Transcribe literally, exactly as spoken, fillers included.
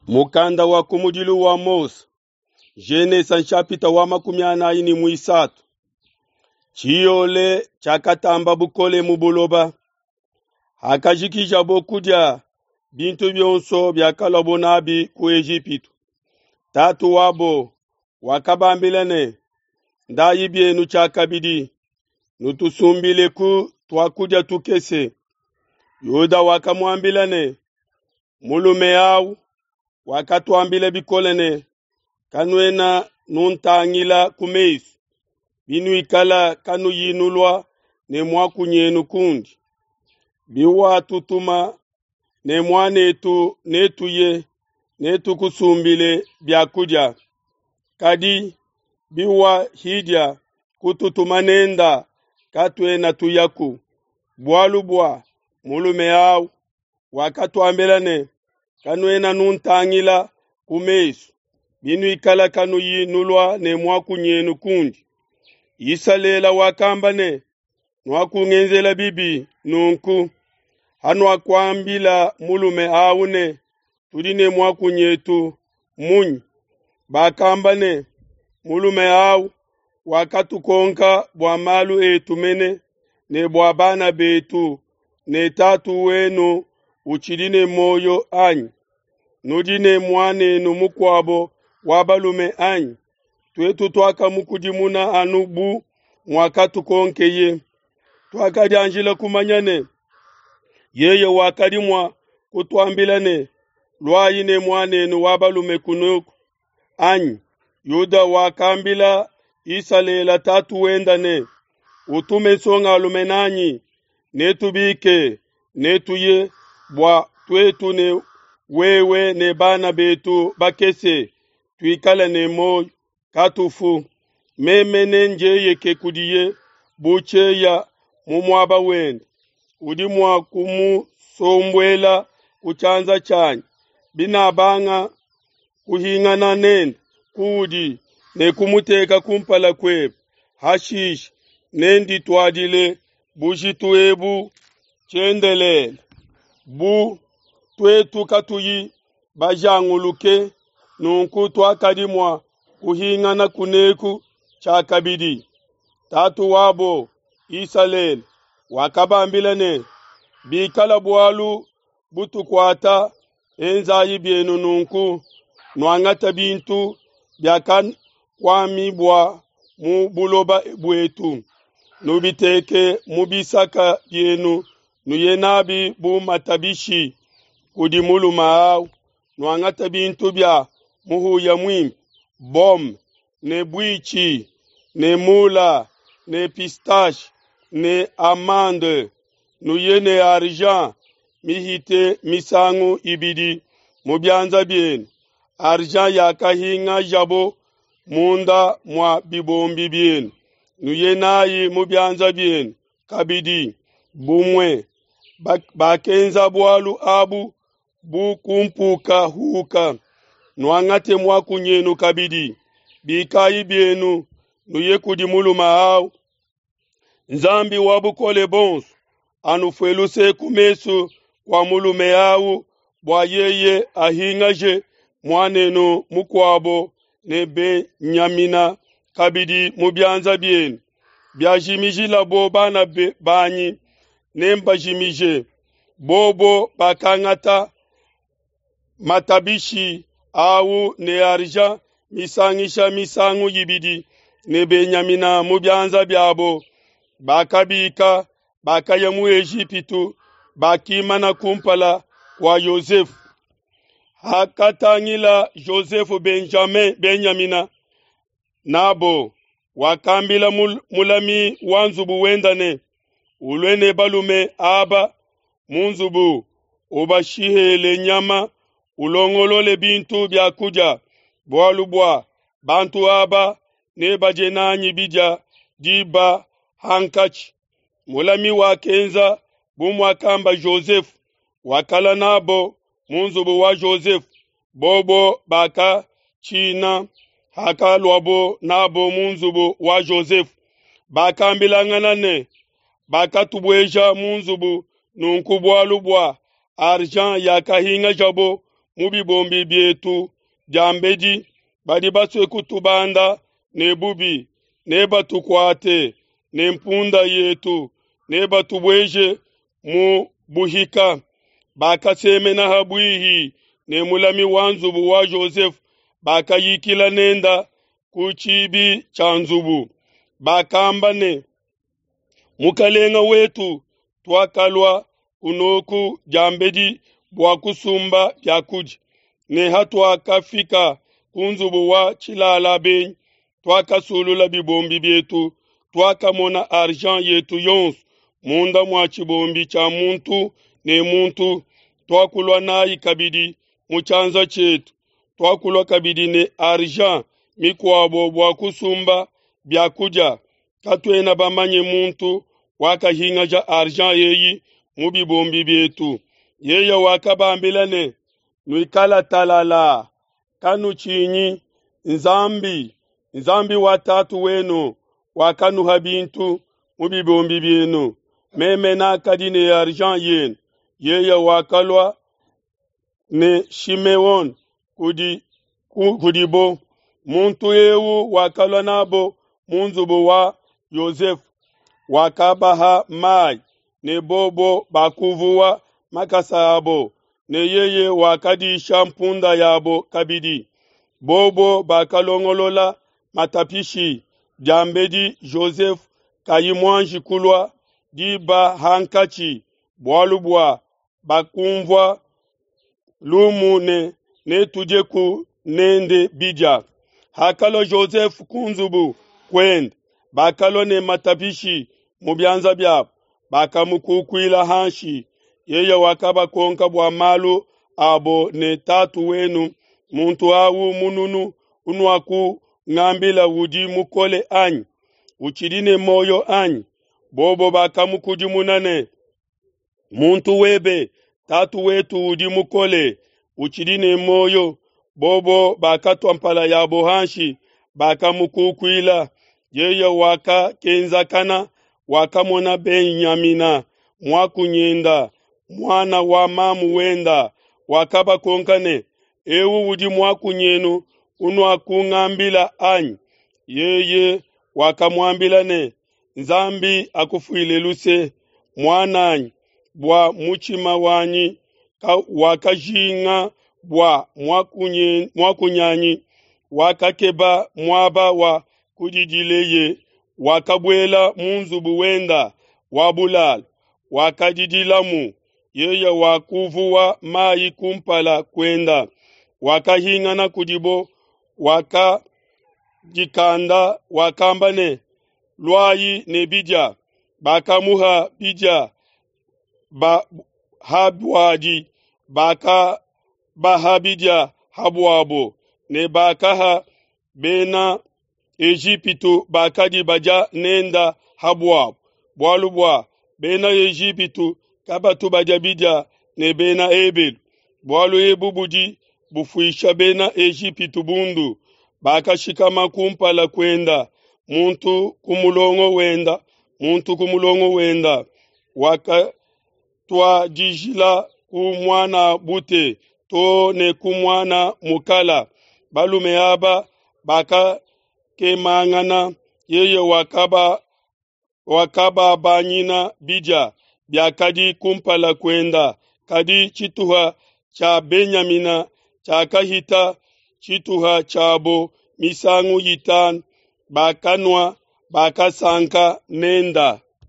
Mukanda wa kumudilu wa Mose, Genesa nshapita wa makumi anayi ne muisatu. Tshiyole tshiakatamba bukole mu buloba. Hakajikijabo kudia bintu bionso biakaluabo nabi ku Ejipitu, tatu wabo wakabambila ne, "Ndayi bienu tshiakabidi, nutusumbileku tuakudia tukese." Yuda wakamuambila ne, "Mulume awu wakatuambila bikole ne, kanuena nuntangila ku mesu, binuikala kanuyi nulua ne muakunyenu kundi. Biwatutuma ne muanetu netuye, netukusumbile biakudia. Kadi biwahidia kututuma nenda, katuena tuyaku. Bualu bua mulume awu wakatuambila ne, kanuena nuntangila ku mesu, binuikala kanuyi nulua ne muakunyenu kundi." Isalele wakamba ne, "Nuakungenzela bibi nunku, hanuakuambila mulume awu ne, tudi ne muakunyetu munyi?" Bakamba ne, "Mulume awu wakatukonka bua malu etu mene ne bua bana betu ne tatu wenu utshidi ne muoyo anyi? Nudi ne muanenu mukuabo wa balume anyi?" Tuetu tuakamukudimuna anu bu muakatukonkeye. Tuakadianjila kumanya ne, yeye wakadi mua kutuambila ne, "Luayi ne muanenu wa balume kunoku anyi?" Yuda wakambila Isalele tatu wenda ne, "Utume nsongalume nanyi, netubike, netuye bua tuetu ne wewe ne bana betu bakese tuikale ne muoyo, katufu. Meme nenjeyeke kudiye bu tshieya mu muaba wende. Udi mua kumusombuela ku tshianza tshianyi. Binabanga kuhingana nende kuudi ne kumuteka kumpala kuebe, hashishe nendituadile bujitu ebu tshiendelele. Bu tuetu katuyi bajanguluke, nunku tuakadi mua kuhingana kuneku tshiakabidi." Tatu wabo Isalele wakabambila ne, "Bikala bualu butukuata, enzayi bienu nunku: nuangata bintu biakakuamibua mu buloba buetu, nubiteke mu bisaka bienu, nuye nabi bu matabishi kudi mulume awu. Nuangata bintu bia muhuya muimpe, bome ne buitshi ne mula ne pistache ne amande, nuye ne argent mihite misangu ibidi mu bianza bienu, argent yakahingajabo munda mua bibombi bienu, nuye nayi mu bianza bienu kabidi." Bumue bakenza bualu abu bu kumpukahuka. Nuangate muakunyenu kabidi, bikayi bienu, nuye kudi mulume awu. Nzambi wa bukole bonso anufue luse ku mesu kua mulume awu, bua yeye ahingaje muanenu mukuabo ne Benyamina kabidi mu bianza bienu. Biajimijilabo bana banyi, nembajimije. Bobo bakangata matabishi awu ne argent misangisha misangu ibidi ne Benyamina mu bianza biabo. Bakabika, bakaya mu Ejipitu, bakimana kumpala kua Yosefu. Hakatangila Josefu Benjamin Benyamina nabo, wakambila mulami wa nzubu wenda ne, "Ulue ne balume aba mu nzubu, ubashihele nyama, ulongolole bintu bia kudia, bualu bua bantu aba nebadie nanyi bidia diba hankatshi." Mulami wakenza bu muakamba Josefu, wakala nabo mu nzubu wa Josefu. Bobo bakatshina hakaluabo nabo mu nzubu wa Josefu. Bakambilangana ne, "Bakatubueja mu nzubu nunku bualu bua argent yakahingajabo mu bibombi bietu diambedi, badi basue kutubanda ne bubi, nebatukuate ne mpunda yetu, nebatubueje mu buhika. Bakasemena ha buihi ne mulami wa nzubu wa Jozefe, bakayikila nenda ku tshibi tshia nzubu. Bakamba ne, mukalenga wetu, tuakalua kunoku diambedi bua kusumba biakudia, ne hatuakafika ku nzubu wa tshilala benyi, tuakasulula bibombi bietu, tuakamona argent yetu yonso munda mua tshibombi tshia muntu ne muntu, tuakulua nayi kabidi mu tshianza tshietu, tuakulua kabidi ne argent mikuabo bua kusumba biakudia. Katuena bamanye muntu wakahingaja argent eyi mu bibombi bietu. Yeye wakabambila ne, nuikala talala, kanutshinyi, Nzambi, Nzambi wa tatu wenu wakanuha bintu mu bibombi bienu, meme nakadi ne argent yenu. Yeye wakalua ne Shimeon kudi kudibo, muntu eu wakalua nabo mu nzubu wa Yosefe, wakabaha mai, ne bobo bakuvuwa makasa abo, ne yeye wakadisha mpunda yabo kabidi. Bobo bakalongolola matapishi diambedi Joseph kayi muanji kulua diba hankatshi, bualu bua bakumvua lumu ne netudieku nende bidia. Hakalua Joseph ku nzubu kuende, bakalua ne matapishi mu bianza biabo, bakamukukuila hanshi. Yeye wakabakonka bua malu abo ne, tatu wenu muntu awu mununu unuakungambila udi mukole anyi? Utshidi ne muoyo anyi? Bobo bakamukudimuna ne, muntu webe tatu wetu udi mukole, utshidi ne muoyo. Bobo bakatua mpala yabo hanshi, bakamukukuila. Yeye wakakenzakana, wakamona Benyamina muakunyenda, muana wa mamu wenda, wakabakonka ne, eu udi muakunyenu unuakungambila anyi? Yeye wakamuambila ne, Nzambi akufuile luse, muananyi, bua mutshima wanyi wakajinga bua muakunyanyi, wakakeba muaba wa kudidileye, wakabuela mu nzubu wenda wa bulalo, wakadidilamu. Yeye wakuvuwa mai kumpala kuenda, wakahingana kudibo, wakadikanda, wakamba ne, luayi ne bidia. Bakamuha bidia ba habuadi, bakabaha bidia habuabo, ne bakaha bena Ejipitu bakadi badia nenda habuabo, bualu bua bena Ejipitu kabatu badia bidia ne bena Ebelu, bualu ebu budi bufuisha bena Ejipitu bundu. Bakashikama kumpala kuenda, muntu ku mulongo wenda, muntu ku mulongo wenda, wakatuadijila ku mwana bute to ne ku mwana mukala. Balume aba bakakemangana, yeye wakaba wakababanyina bidia biakadi kumpala kuenda, kadi tshituha tshia Benyamina tshiakahita tshituha tshiabo misangu itanu. Bakanua, bakasanka nenda.